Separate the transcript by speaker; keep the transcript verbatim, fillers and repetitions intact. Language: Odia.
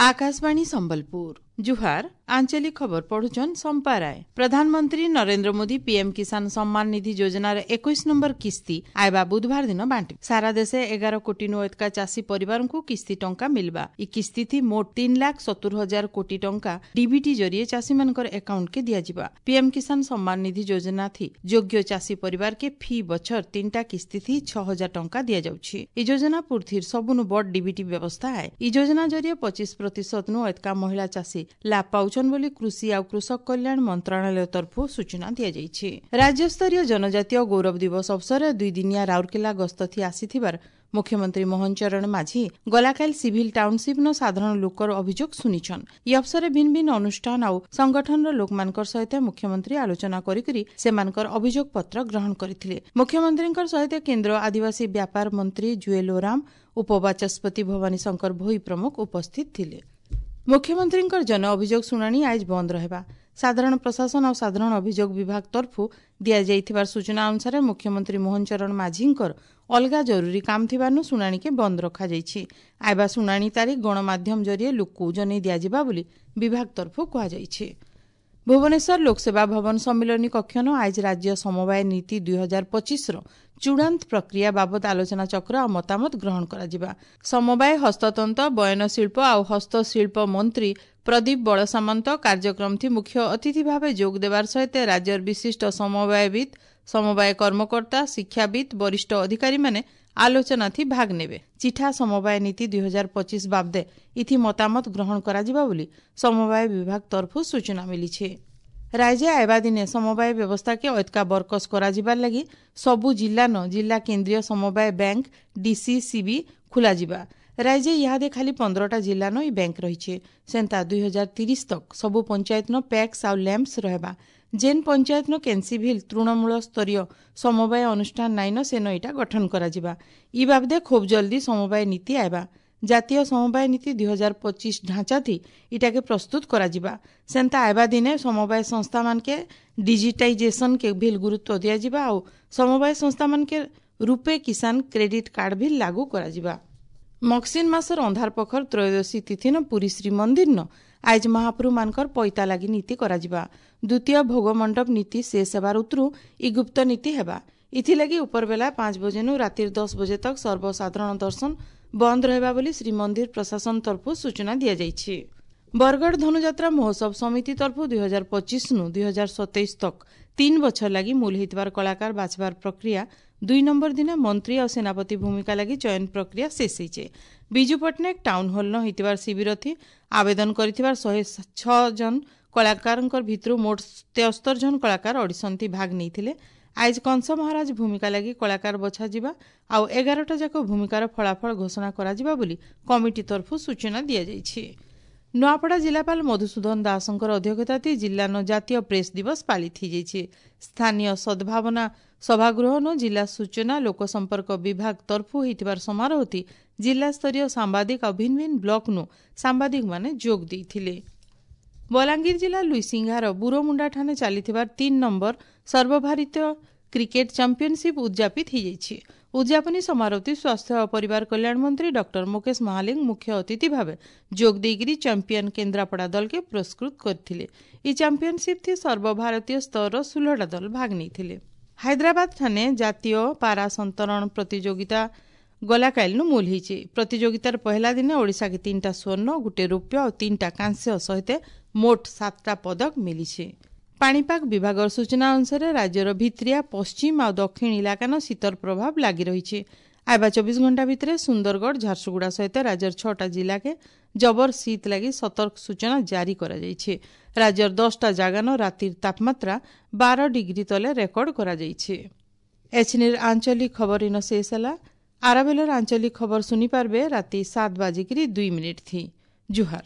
Speaker 1: ଆକାଶବାଣୀ ସମ୍ବଲପୁର ଜୁହାର ଆଞ୍ଚଳିକ ଖବର ପଢୁଛନ୍ ସମ୍ପା ରାୟ ପ୍ରଧାନମନ୍ତ୍ରୀ ନରେନ୍ଦ୍ର ମୋଦି ପିଏମ୍ କିଷାନ ସମ୍ମାନ ନିଧି ଯୋଜନାର ଏକୋଇଶ ନମ୍ବର କିସ୍ତି ଆଇବା ବୁଧବାର ଦିନ ବାଣ୍ଟିବେ ସାରା ଦେଶେ ଏଗାର କୋଟି ନୁ ଏତକା ଚାଷୀ ପରିବାରଙ୍କୁ କିସ୍ତି ଟଙ୍କା ମିଲବା ଇ କିସ୍ତି ଥି ମୋଟ ତିନି ଲାଖ ସତୁର ହଜାର କୋଟି ଟଙ୍କା ଡିବିଟି ଜରିଏ ଚାଷୀମାନଙ୍କର ଆକାଉଣ୍ଟକେ ଦିଆଯିବା ପିଏମ୍ କିଷାନ ସମ୍ମାନ ନିଧି ଯୋଜନା ଥି ଯୋଗ୍ୟ ଚାଷୀ ପରିବାରକେ ଫି ବଛର ତିନିଟା କିସ୍ତି ଥି ଛଅ ହଜାର ଟଙ୍କା ଦିଆଯାଉଛି ଇ ଯୋଜନା ପୁର୍ଥିର ସବୁନୁ ବଡ ଡିବିଟି ବ୍ୟବସ୍ଥା ଆଏ ଇ ଯୋଜନା ଜରିଏ ପଚିଶ ପ୍ରତିଶତ ନୁ ଏତକା ମହିଳା ଚାଷୀ ଲାଭ ପାଉଛନ୍ ବୋଲି କୃଷି ଆଉ କୃଷକ କଲ୍ୟାଣ ମନ୍ତ୍ରଣାଳୟ ତରଫରୁ ସୂଚନା ଦିଆଯାଇଛି ରାଜ୍ୟସ୍ତରୀୟ ଜନଜାତୀୟ ଗୌରବ ଦିବସ ଅବସରରେ ଦୁଇଦିନିଆ ରାଉରକେଲା ଗସ୍ତ ଥି ଆସିଥିବାର ମୁଖ୍ୟମନ୍ତ୍ରୀ ମୋହନ ଚରଣ ମାଝୀ ଗଲାକାଲି ସିଭିଲ ଟାଉନସିପ୍ନ ସାଧାରଣ ଲୋକର ଅଭିଯୋଗ ଶୁଣିଛନ୍ ଇ ଅବସରରେ ଭିନ୍ନ ଭିନ୍ନ ଅନୁଷ୍ଠାନ ଆଉ ସଂଗଠନର ଲୋକମାନଙ୍କର ସହିତ ମୁଖ୍ୟମନ୍ତ୍ରୀ ଆଲୋଚନା କରିକରି ସେମାନଙ୍କର ଅଭିଯୋଗ ପତ୍ର ଗ୍ରହଣ କରିଥିଲେ ମୁଖ୍ୟମନ୍ତ୍ରୀଙ୍କର ସହିତ କେନ୍ଦ୍ର ଆଦିବାସୀ ବ୍ୟାପାର ମନ୍ତ୍ରୀ ଜୁଏଲ ଓରାମ ଉପବାଚସ୍ପତି ଭବାନୀ ଶଙ୍କର ଭୋଇ ପ୍ରମୁଖ ଉପସ୍ଥିତ ଥିଲେ ମୁଖ୍ୟମନ୍ତ୍ରୀଙ୍କର ଜନ ଅଭିଯୋଗ ଶୁଣାଣି ଆଜ ବନ୍ଦ ରହିବା ସାଧାରଣ ପ୍ରଶାସନ ଆଉ ସାଧାରଣ ଅଭିଯୋଗ ବିଭାଗ ତରଫରୁ ଦିଆଯାଇଥିବାର ସୂଚନା ଅନୁସାରେ ମୁଖ୍ୟମନ୍ତ୍ରୀ ମୋହନ ଚରଣ ମାଝୀଙ୍କର ଅଲଗା ଜରୁରୀ କାମ ଥିବାରୁ ଶୁଣାଣିକେ ବନ୍ଦ ରଖାଯାଇଛି ଆଇବା ଶୁଣାଣି ତାରିଖ ଗଣମାଧ୍ୟମ ଜରିଏ ଲୋକକୁ ଜଣାଇ ଦିଆଯିବା ବୋଲି ବିଭାଗ ତରଫରୁ କୁହାଯାଇଛି ଭୁବନେଶ୍ୱର ଲୋକସେବା ଭବନ ସମ୍ମିଳନୀ କକ୍ଷନ ଆଜ ରାଜ୍ୟ ସମବାୟ ନୀତି ଦୁଇ ହଜାର ପଚିଶର ଚୂଡ଼ାନ୍ତ ପ୍ରକ୍ରିୟା ବାବଦ ଆଲୋଚନା ଚକ୍ର ଆଉ ମତାମତ ଗ୍ରହଣ କରାଯିବା ସମବାୟ ହସ୍ତତନ୍ତ ବୟନଶିଳ୍ପ ଆଉ ହସ୍ତଶିଳ୍ପ ମନ୍ତ୍ରୀ ପ୍ରଦୀପ ବଳସାମନ୍ତ କାର୍ଯ୍ୟକ୍ରମଥି ମୁଖ୍ୟ ଅତିଥି ଭାବେ ଯୋଗ ଦେବାର ସହିତ ରାଜ୍ୟର ବିଶିଷ୍ଟ ସମବାୟବିତ୍ ସମବାୟ କର୍ମକର୍ତ୍ତା ଶିକ୍ଷାବିତ୍ ବରିଷ୍ଠ ଅଧିକାରୀମାନେ ଆଲୋଚନାଥି ଭାଗ ନେବେ ଚିଠା ସମବାୟ ନୀତି ଦୁଇ ହଜାର ପଚିଶ ବାବଦେ ଇଥି ମତାମତ ଗ୍ରହଣ କରାଯିବା ବୋଲି ସମବାୟ ବିଭାଗ ତରଫରୁ ସୂଚନା ମିଳିଛି ରାଜ୍ୟ ଆଇବା ଦିନେ ସମବାୟ ବ୍ୟବସ୍ଥାକେ ଐତକା ବରକସ କରାଯିବାର ଲାଗି ସବୁ ଜିଲ୍ଲାନ ଜିଲ୍ଲା କେନ୍ଦ୍ରୀୟ ସମବାୟ ବ୍ୟାଙ୍କ ଡିସିସିବି ଖୋଲାଯିବା ରାଜ୍ୟ ଇହାଦେ ଖାଲି ପନ୍ଦରଟା ଜିଲ୍ଲାନ ଇ ବ୍ୟାଙ୍କ ରହିছে ସେନ୍ତା ଦୁଇ ହଜାର ତିରିଶ ତକ୍ ସବୁ ପଞ୍ଚାୟତନ ପ୍ୟାକ୍ସ ଆଉ ଲ୍ୟାମ୍ପସ ରହିବା ଯେନ୍ ପଞ୍ଚାୟତନ କେନ୍ସି ଭିଲ୍ ତୃଣମୂଳ ସ୍ତରୀୟ ସମବାୟ ଅନୁଷ୍ଠାନ ନାଇନ ସେନ ଇଟା ଗଠନ କରାଯିବା ଇ ବାବଦେ ଖୁବ୍ ଜଲ୍ଦି ସମବାୟ ନୀତି ଆଇବା ଜାତୀୟ ସମବାୟ ନୀତି ଦୁଇ ହଜାର ପଚିଶ ଢାଞ୍ଚାଥି ଇଟାକେ ପ୍ରସ୍ତୁତ କରାଯିବା ସେନ୍ତା ଆଇବା ଦିନେ ସମବାୟ ସଂସ୍ଥାମାନକେ ଡିଜିଟାଇଜେସନକେ ଭିଲ୍ ଗୁରୁତ୍ୱ ଦିଆଯିବା ଆଉ ସମବାୟ ସଂସ୍ଥାମାନକେ ରୂପେ କିଷାନ କ୍ରେଡିଟ୍ କାର୍ଡ ଭିଲ୍ ଲାଗୁ କରାଯିବା ମକ୍ସିନ୍ ମାସର ଅନ୍ଧାର ପଖର ତ୍ରୟୋଦଶୀ ତିଥିନ ପୁରୀ ଶ୍ରୀମନ୍ଦିରନ ଆଇଜ ମହାପ୍ରଭୁମାନଙ୍କର ପଇତା ଲାଗି ନୀତି କରାଯିବା ଦ୍ୱିତୀୟ ଭୋଗ ମଣ୍ଡପ ନୀତି ଶେଷ ହେବାର ଉତରୁ ଇ ଗୁପ୍ତ ନୀତି ହେବା ଇଥିଲାଗି ଉପରବେଲା ପାଞ୍ଚ ବଜେନୁ ରାତିର ଦଶ ବଜେ ତକ୍ ସର୍ବସାଧାରଣ ଦର୍ଶନ ବନ୍ଦ ରହିବା ବୋଲି ଶ୍ରୀମନ୍ଦିର ପ୍ରଶାସନ ତରଫରୁ ସୂଚନା ଦିଆଯାଇଛି ବରଗଡ଼ ଧନୁଯାତ୍ରା ମହୋତ୍ସବ ସମିତି ତରଫରୁ ଦୁଇ ହଜାର ପଚିଶନୁ ଦୁଇ ହଜାର ସତେଇଶ ତକ୍ ତିନି ବଛର ଲାଗି ମୂଲ ହେଇଥିବାର କଳାକାର ବାଛବାର ପ୍ରକ୍ରିୟା ଦୁଇ ନମ୍ବର ଦିନ ମନ୍ତ୍ରୀ ଆଉ ସେନାପତି ଭୂମିକା ଲାଗି ଚୟନ ପ୍ରକ୍ରିୟା ଶେଷ ହେଇଛେ ବିଜୁ ପଟ୍ଟନାୟକ ଟାଉନ ହଲ୍ନ ହେଇଥିବାର ଶିବିରଥି ଆବେଦନ କରିଥିବାର ଶହେ ଛଅ ଜଣ କଳାକାରଙ୍କର ଭିତରୁ ମୋଟ ତେସ୍ତର ଜଣ କଳାକାର ଅଡିସନ୍ଥି ଭାଗ ନେଇଥିଲେ ଆଇଜ କଂସ ମହାରାଜ ଭୂମିକା ଲାଗି କଳାକାର ବଛାଯିବା ଆଉ ଏଗାରଟା ଯାକ ଭୂମିକାର ଫଳାଫଳ ଘୋଷଣା କରାଯିବା ବୋଲି କମିଟି ତରଫରୁ ସୂଚନା ଦିଆଯାଇଛି ନୂଆପଡ଼ା ଜିଲ୍ଲାପାଳ ମଧୁସୂଦନ ଦାସଙ୍କର ଅଧ୍ୟକ୍ଷତାଥି ଜିଲ୍ଲାନ ଜାତୀୟ ପ୍ରେସ୍ ଦିବସ ପାଳିତ ହେଇଯାଇଛି ସ୍ଥାନୀୟ ସଦ୍ଭାବନା ସଭାଗୃହନ ଜିଲ୍ଲା ସୂଚନା ଲୋକସମ୍ପର୍କ ବିଭାଗ ତରଫରୁ ହେଇଥିବାର ସମାରୋହତି ଜିଲ୍ଲାସ୍ତରୀୟ ସାମ୍ବାଦିକ ଆଉ ଭିନ୍ନ ଭିନ୍ନ ବ୍ଲକନୁ ସାମ୍ବାଦିକମାନେ ଯୋଗ ଦେଇଥିଲେ ବଲାଙ୍ଗୀର ଜିଲ୍ଲା ଲୁଇସିଂହାର ବୁରୋମୁଣ୍ଡାଠାନେ ଚାଲିଥିବାର ତିନି ନମ୍ବର ସର୍ବଭାରତୀୟ କ୍ରିକେଟ ଚାମ୍ପିୟନସିପ୍ ଉଦ୍ଯାପିତ ହୋଇଯାଇଛି ଉଦ୍ଯାପନୀ ସମାରୋହଟି ସ୍ୱାସ୍ଥ୍ୟ ଓ ପରିବାର କଲ୍ୟାଣ ମନ୍ତ୍ରୀ ଡକ୍ଟର ମୁକେଶ ମହାଲିଙ୍ଗ ମୁଖ୍ୟ ଅତିଥି ଭାବେ ଯୋଗ ଦେଇକରି ଚାମ୍ପିୟନ କେନ୍ଦ୍ରାପଡ଼ା ଦଲକେ ପୁରସ୍କୃତ କରିଥିଲେ ଏହି ଚାମ୍ପିୟନସିପ୍ ଥି ସର୍ବଭାରତୀୟ ସ୍ତରର ଷୋହଳଟା ଦଳ ଭାଗ ନେଇଥିଲେ ହାଇଦ୍ରାବାଦ ଠାନେ ଜାତୀୟ ପାରା ସନ୍ତରଣ ପ୍ରତିଯୋଗିତା ଗଲାକାଲିନୁ ମୂଲ ହେଇଛି ପ୍ରତିଯୋଗିତାର ପହିଲା ଦିନ ଓଡ଼ିଶାକେ ତିନିଟା ସ୍ୱର୍ଣ୍ଣ ଗୋଟିଏ ରୌପ୍ୟ ଆଉ ତିନିଟା କାଂସ୍ୟ ସହିତ ମୋଟ ସାତଟା ପଦକ ମିଳିଛି ପାଣିପାଗ ବିଭାଗର ସୂଚନା ଅନୁସାରେ ରାଜ୍ୟର ଭିତ୍ରିଆ ପଶ୍ଚିମ ଆଉ ଦକ୍ଷିଣ ଇଲାକାନ ଶୀତର ପ୍ରଭାବ ଲାଗି ରହିଛି ଆଇବା ଚବିଶ ଘଣ୍ଟା ଭିତରେ ସୁନ୍ଦରଗଡ଼ ଝାରସୁଗୁଡ଼ା ସହିତ ରାଜ୍ୟର ଛଅଟା ଜିଲ୍ଲାକେ ଜବର ଶୀତ ଲାଗି ସତର୍କ ସୂଚନା ଜାରି କରାଯାଇଛି ରାଜ୍ୟର ଦଶଟା ଜାଗାନ ରାତିର ତାପମାତ୍ରା ବାର ଡିଗ୍ରୀ ତଲେ ରେକର୍ଡ କରାଯାଇଛି ଏଛିନିର ଆଞ୍ଚଳିକ ଖବର ଇନ ଶେଷ ହେଲା ଆରାବେଲର ଆଞ୍ଚଳିକ ଖବର ଶୁଣିପାରିବେ ରାତି ସାତ ବାଜିକିରି ଦୁଇ ମିନିଟ୍ ଥି ଜୁହାର